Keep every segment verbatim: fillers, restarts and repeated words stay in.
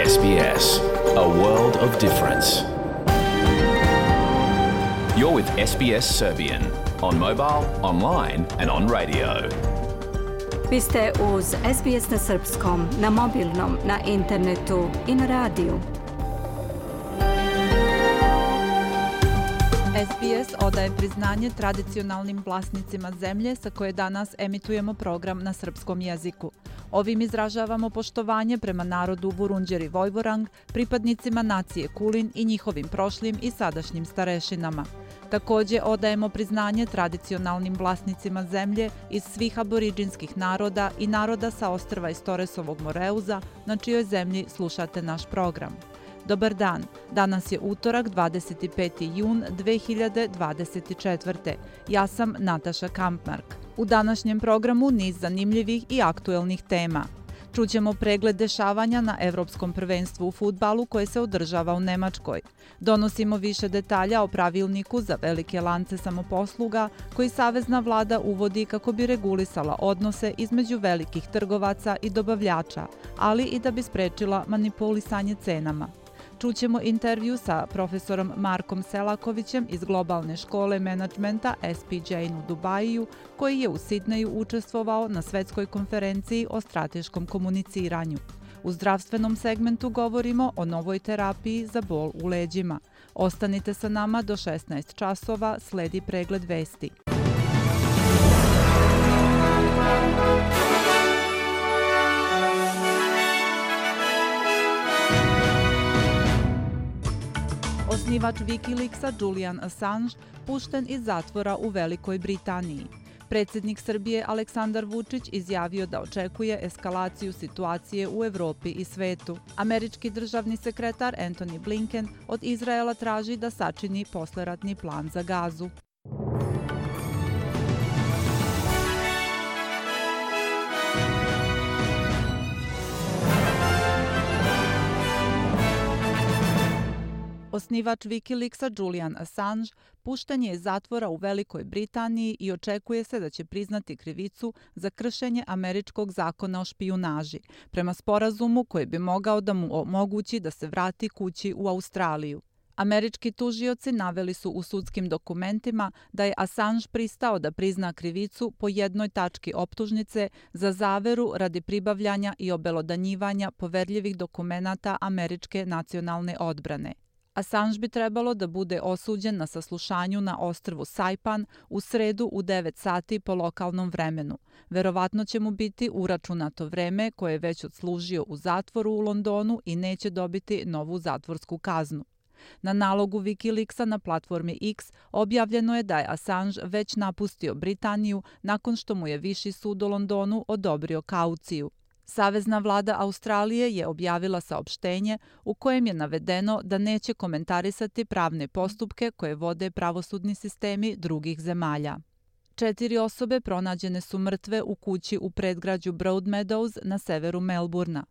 S B S, a world of difference. You're with S B S Serbian on mobile, online and on radio. Vi ste uz S B S na srpskom, na mobilnom, na internetu i na radiju. S B S odaje priznanje tradicionalnim vlasnicima zemlje sa koje danas emitujemo program na srpskom jeziku. Ovim izražavamo poštovanje prema narodu Vurundjeri Vojvorang, pripadnicima nacije Kulin i njihovim prošlim i sadašnjim starešinama. Također odajemo priznanje tradicionalnim vlasnicima zemlje iz svih aboriđinskih naroda i naroda sa ostrva iz Toresovog Moreuza, na čijoj zemlji slušate naš program. Dobar dan, danas je utorak dvadeset peti jun dve hiljade dvadeset četvrte. Ja sam Nataša Kampmark. U današnjem programu niz zanimljivih i aktuelnih tema. Čućemo pregled dešavanja na Evropskom prvenstvu u fudbalu koje se održava u Nemačkoj. Donosimo više detalja o pravilniku za velike lance samoposluga koji savezna vlada uvodi kako bi regulisala odnose između velikih trgovaca i dobavljača, ali i da bi sprečila manipulisanje cenama. Čućemo intervju sa profesorom Markom Selakovićem iz globalne škole menadžmenta S P J u Dubaju, koji je u Sidneju učestvovao na svetskoj konferenciji o strateškom komuniciranju. U zdravstvenom segmentu govorimo o novoj terapiji za bol u leđima. Ostanite sa nama do šesnaest časova, sledi pregled vesti. Osnivač Wikileaksa Julian Assange pušten iz zatvora u Velikoj Britaniji. Predsjednik Srbije Aleksandar Vučić izjavio da očekuje eskalaciju situacije u Evropi i svetu. Američki državni sekretar Antony Blinken od Izraela traži da sačini posleratni plan za Gazu. Osnivač Wikileaksa Julian Assange pušten je iz zatvora u Velikoj Britaniji i očekuje se da će priznati krivicu za kršenje američkog zakona o špijunaži, prema sporazumu koji bi mogao da mu omogući da se vrati kući u Australiju. Američki tužioci naveli su u sudskim dokumentima da je Assange pristao da prizna krivicu po jednoj tački optužnice za zaveru radi pribavljanja i obelodanjivanja poverljivih dokumenata američke nacionalne odbrane. Assange bi trebalo da bude osuđen na saslušanju na ostrvu Saipan u sredu u devet sati po lokalnom vremenu. Verovatno će mu biti uračunato vreme koje je već odslužio u zatvoru u Londonu i neće dobiti novu zatvorsku kaznu. Na nalogu Wikileaksa na platformi X objavljeno je da je Assange već napustio Britaniju nakon što mu je Viši sud u Londonu odobrio kauciju. Savezna vlada Australije je objavila saopštenje u kojem je navedeno da neće komentarisati pravne postupke koje vode pravosudni sistemi drugih zemalja. Četiri osobe pronađene su mrtve u kući u predgrađu Broadmeadows na severu Melburna.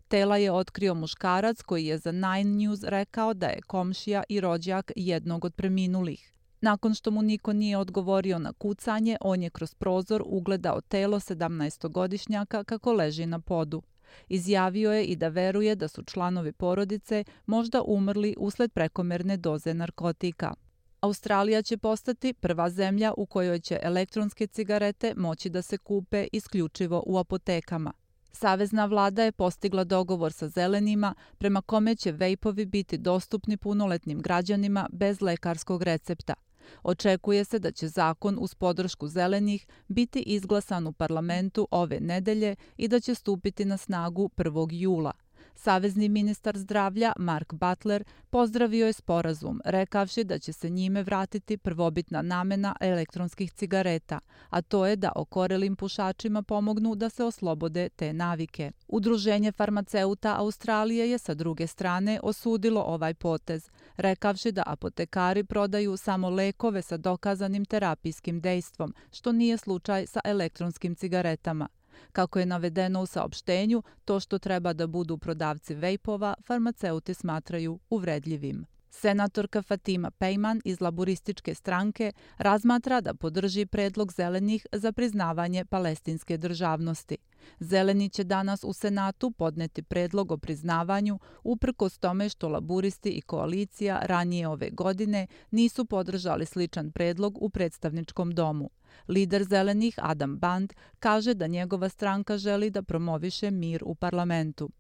Tela je otkrio muškarac koji je za Nine News rekao da je komšija i rođak jednog od preminulih. Nakon što mu niko nije odgovorio na kucanje, on je kroz prozor ugledao telo sedamnaestogodišnjaka kako leži na podu. Izjavio je i da veruje da su članovi porodice možda umrli usled prekomerne doze narkotika. Australija će postati prva zemlja u kojoj će elektronske cigarete moći da se kupe isključivo u apotekama. Savezna vlada je postigla dogovor sa zelenima prema kome će vejpovi biti dostupni punoletnim građanima bez lekarskog recepta. Očekuje se da će zakon uz podršku zelenih biti izglasan u parlamentu ove nedelje i da će stupiti na snagu prvog jula. Savezni ministar zdravlja Mark Butler pozdravio je sporazum, rekavši da će se njime vratiti prvobitna namena elektronskih cigareta, a to je da okorelim pušačima pomognu da se oslobode te navike. Udruženje farmaceuta Australije je sa druge strane osudilo ovaj potez, rekavši da apotekari prodaju samo lekove sa dokazanim terapijskim dejstvom, što nije slučaj sa elektronskim cigaretama. Kako je navedeno u saopštenju, to što treba da budu prodavci vejpova, farmaceuti smatraju uvredljivim. Senatorka Fatima Pejman iz laburističke stranke razmatra da podrži predlog zelenih za priznavanje palestinske državnosti. Zeleni će danas u Senatu podneti predlog o priznavanju uprkos tome što laburisti i koalicija ranije ove godine nisu podržali sličan predlog u predstavničkom domu. Lider zelenih Adam Band kaže da njegova stranka želi da promoviše mir u parlamentu.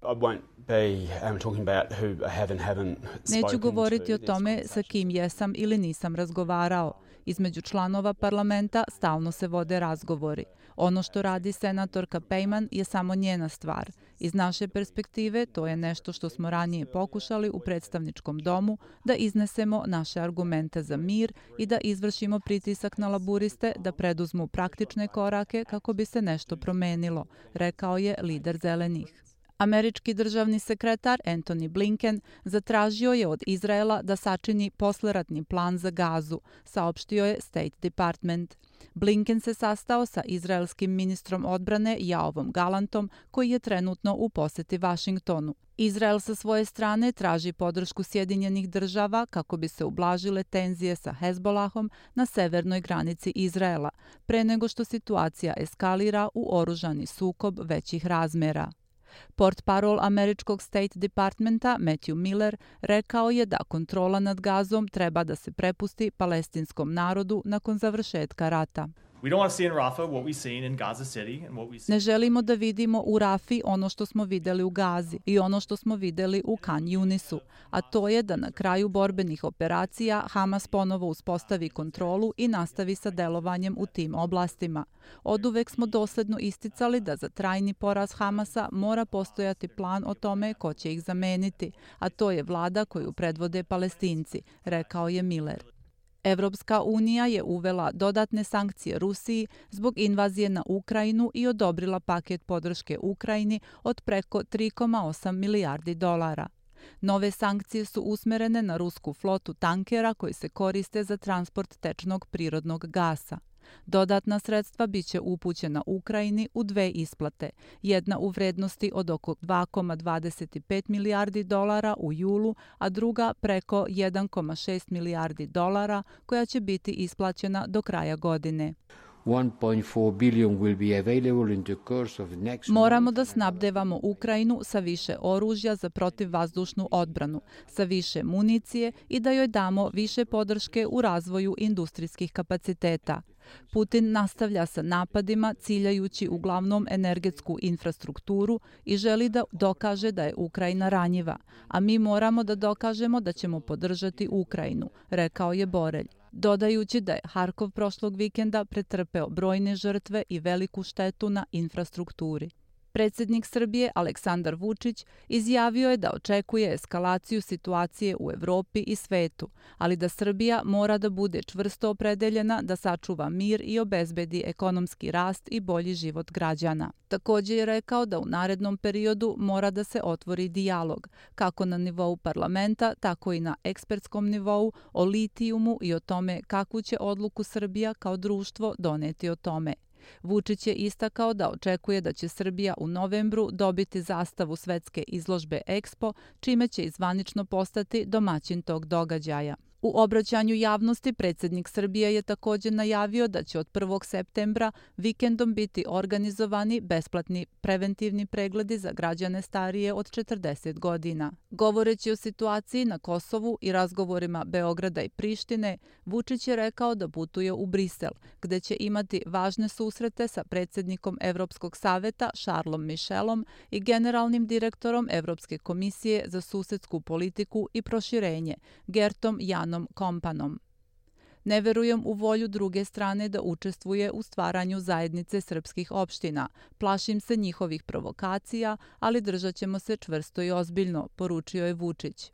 Neću govoriti o tome sa kim jesam ili nisam razgovarao. Između članova parlamenta stalno se vode razgovori. Ono što radi senatorka Pejman je samo njena stvar. Iz naše perspektive to je nešto što smo ranije pokušali u predstavničkom domu, da iznesemo naše argumente za mir i da izvršimo pritisak na laburiste da preduzmu praktične korake kako bi se nešto promenilo, rekao je lider zelenih. Američki državni sekretar Antony Blinken zatražio je od Izraela da sačini posleratni plan za Gazu, saopštio je State Department. Blinken se sastao sa izraelskim ministrom odbrane Joavom Gallantom, koji je trenutno u poseti Vašingtonu. Izrael sa svoje strane traži podršku Sjedinjenih država kako bi se ublažile tenzije sa Hezbolahom na severnoj granici Izraela, pre nego što situacija eskalira u oružani sukob većih razmera. Portparol američkog State Departmenta Matthew Miller rekao je da kontrola nad Gazom treba da se prepusti palestinskom narodu nakon završetka rata. Ne želimo da vidimo u Rafi ono što smo videli u Gazi i ono što smo videli u Khan Yunisu, a to je da na kraju borbenih operacija Hamas ponovo uspostavi kontrolu i nastavi sa delovanjem u tim oblastima. Oduvek smo dosledno isticali da za trajni poraz Hamasa mora postojati plan o tome ko će ih zameniti, a to je vlada koju predvode Palestinci, rekao je Miller. Evropska unija je uvela dodatne sankcije Rusiji zbog invazije na Ukrajinu i odobrila paket podrške Ukrajini od preko tri zarez osam milijardi dolara. Nove sankcije su usmerene na rusku flotu tankera koji se koriste za transport tečnog prirodnog gasa. Dodatna sredstva biće upućena Ukrajini u dve isplate, jedna u vrednosti od oko dva zarez dvadeset pet milijardi dolara u julu, a druga preko jedan zarez šest milijardi dolara koja će biti isplaćena do kraja godine. Moramo da snabdevamo Ukrajinu sa više oružja za protivvazdušnu odbranu, sa više municije i da joj damo više podrške u razvoju industrijskih kapaciteta. Putin nastavlja sa napadima ciljajući uglavnom energetsku infrastrukturu i želi da dokaže da je Ukrajina ranjiva, a mi moramo da dokažemo da ćemo podržati Ukrajinu, rekao je Borelj, dodajući da je Harkov prošlog vikenda pretrpeo brojne žrtve i veliku štetu na infrastrukturi. Predsjednik Srbije Aleksandar Vučić izjavio je da očekuje eskalaciju situacije u Evropi i svetu, ali da Srbija mora da bude čvrsto opredeljena da sačuva mir i obezbedi ekonomski rast i bolji život građana. Također je rekao da u narednom periodu mora da se otvori dijalog, kako na nivou parlamenta, tako i na ekspertskom nivou, o litijumu i o tome kakvu će odluku Srbija kao društvo doneti o tome. Vučić je istakao da očekuje da će Srbija u novembru dobiti zastavu svetske izložbe Expo, čime će i zvanično postati domaćin tog događaja. U obraćanju javnosti predsjednik Srbije je također najavio da će od prvog septembra vikendom biti organizovani besplatni preventivni pregledi za građane starije od četrdeset godina. Govoreći o situaciji na Kosovu i razgovorima Beograda i Prištine, Vučić je rekao da putuje u Brisel, gde će imati važne susrete sa predsjednikom Evropskog saveta Charlesom Michelom i generalnim direktorom Evropske komisije za susedsku politiku i proširenje, Gertom Janom Kompanom. Ne verujem u volju druge strane da učestvuje u stvaranju zajednice srpskih opština. Plašim se njihovih provokacija, ali držat ćemo se čvrsto i ozbiljno, poručio je Vučić.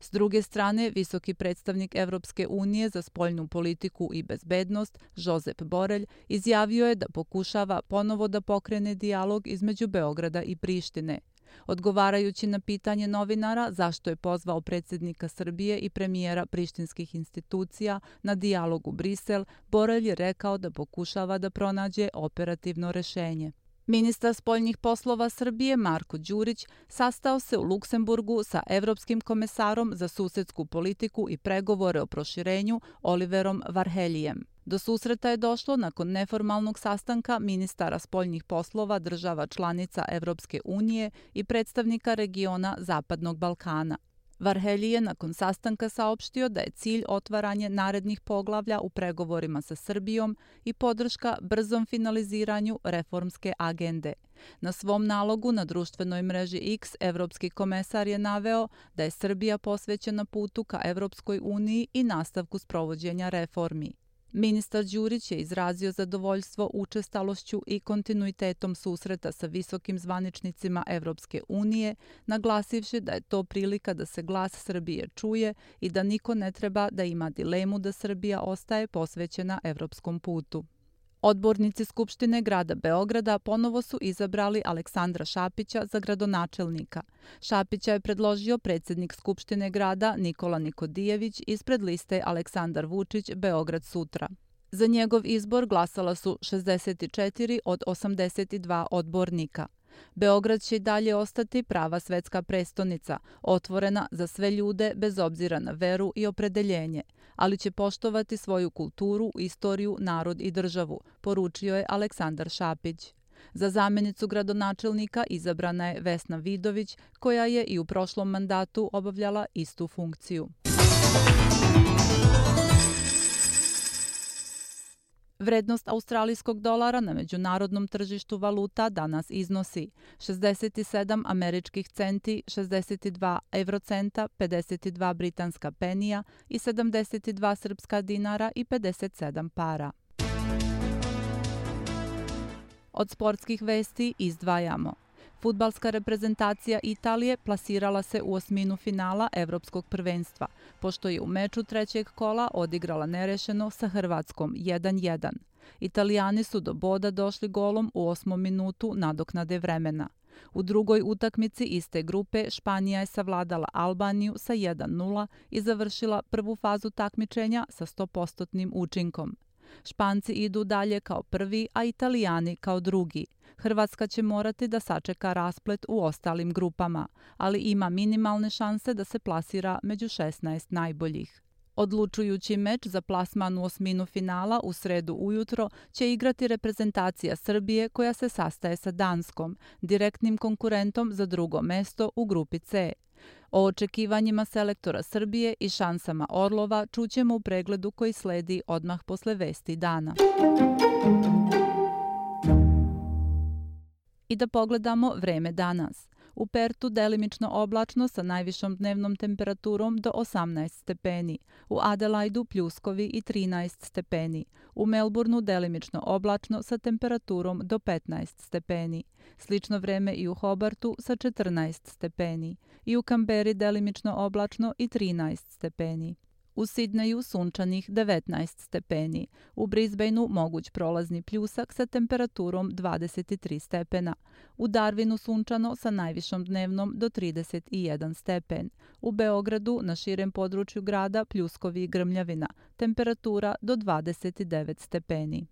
S druge strane, visoki predstavnik Evropske unije za spoljnu politiku i bezbednost, Josep Borelj, izjavio je da pokušava ponovo da pokrene dijalog između Beograda i Prištine. Odgovarajući na pitanje novinara zašto je pozvao predsjednika Srbije i premijera prištinskih institucija na dijalog u Brisel, Borelj je rekao da pokušava da pronađe operativno rešenje. Ministar spoljnih poslova Srbije Marko Đurić sastao se u Luksemburgu sa evropskim komesarom za susedsku politiku i pregovore o proširenju Oliverom Varheljijem. Do susreta je došlo nakon neformalnog sastanka ministara spoljnih poslova država članica Evropske unije i predstavnika regiona Zapadnog Balkana. Varhelji je nakon sastanka saopštio da je cilj otvaranje narednih poglavlja u pregovorima sa Srbijom i podrška brzom finaliziranju reformske agende. Na svom nalogu na društvenoj mreži X evropski komesar je naveo da je Srbija posvećena putu ka Evropskoj uniji i nastavku sprovođenja reformi. Ministar Đurić je izrazio zadovoljstvo učestalošću i kontinuitetom susreta sa visokim zvaničnicima Evropske unije, naglasivši da je to prilika da se glas Srbije čuje i da niko ne treba da ima dilemu da Srbija ostaje posvećena evropskom putu. Odbornici Skupštine grada Beograda ponovo su izabrali Aleksandra Šapića za gradonačelnika. Šapića je predložio predsjednik Skupštine grada Nikola Nikodijević ispred liste Aleksandar Vučić Beograd sutra. Za njegov izbor glasala su šezdeset četiri od osamdeset dva odbornika. Beograd će i dalje ostati prava svetska prestonica, otvorena za sve ljude bez obzira na veru i opredeljenje, ali će poštovati svoju kulturu, istoriju, narod i državu, poručio je Aleksandar Šapić. Za zamjenicu gradonačelnika izabrana je Vesna Vidović, koja je i u prošlom mandatu obavljala istu funkciju. Vrednost australijskog dolara na međunarodnom tržištu valuta danas iznosi šezdeset sedam američkih centi, šezdeset dva evrocenta, pedeset dva britanska penija i sedamdeset dva srpska dinara i pedeset sedam para. Od sportskih vesti izdvajamo. Fudbalska reprezentacija Italije plasirala se u osminu finala Evropskog prvenstva, pošto je u meču trećeg kola odigrala nerešeno sa Hrvatskom jedan jedan. Italijani su do boda došli golom u osmom minutu nadoknade vremena. U drugoj utakmici iste grupe Španija je savladala Albaniju sa jedan nula i završila prvu fazu takmičenja sa sto posto učinkom. Španci idu dalje kao prvi, a Italijani kao drugi. Hrvatska će morati da sačeka rasplet u ostalim grupama, ali ima minimalne šanse da se plasira među šesnaest najboljih. Odlučujući meč za plasman u osminu finala u sredu ujutro će igrati reprezentacija Srbije koja se sastaje sa Danskom, direktnim konkurentom za drugo mesto u grupi C. O očekivanjima selektora Srbije i šansama Orlova čućemo u pregledu koji sledi odmah posle vesti dana. I da pogledamo vreme danas. U Pertu delimično oblačno sa najvišom dnevnom temperaturom do osamnaest stepeni. U Adelaidu pljuskovi i trinaest stepeni. U Melbourneu delimično oblačno sa temperaturom do petnaest stepeni. Slično vreme i u Hobartu sa četrnaest stepeni. I u Kamberi delimično oblačno i trinaest stepeni. U Sidneju sunčanih devetnaest stepeni. U Brisbaneu moguć prolazni pljusak sa temperaturom dvadeset tri stepena. U Darwinu sunčano sa najvišom dnevnom do trideset jedan stepen. U Beogradu na širem području grada pljuskovi i grmljavina. Temperatura do dvadeset devet stepeni.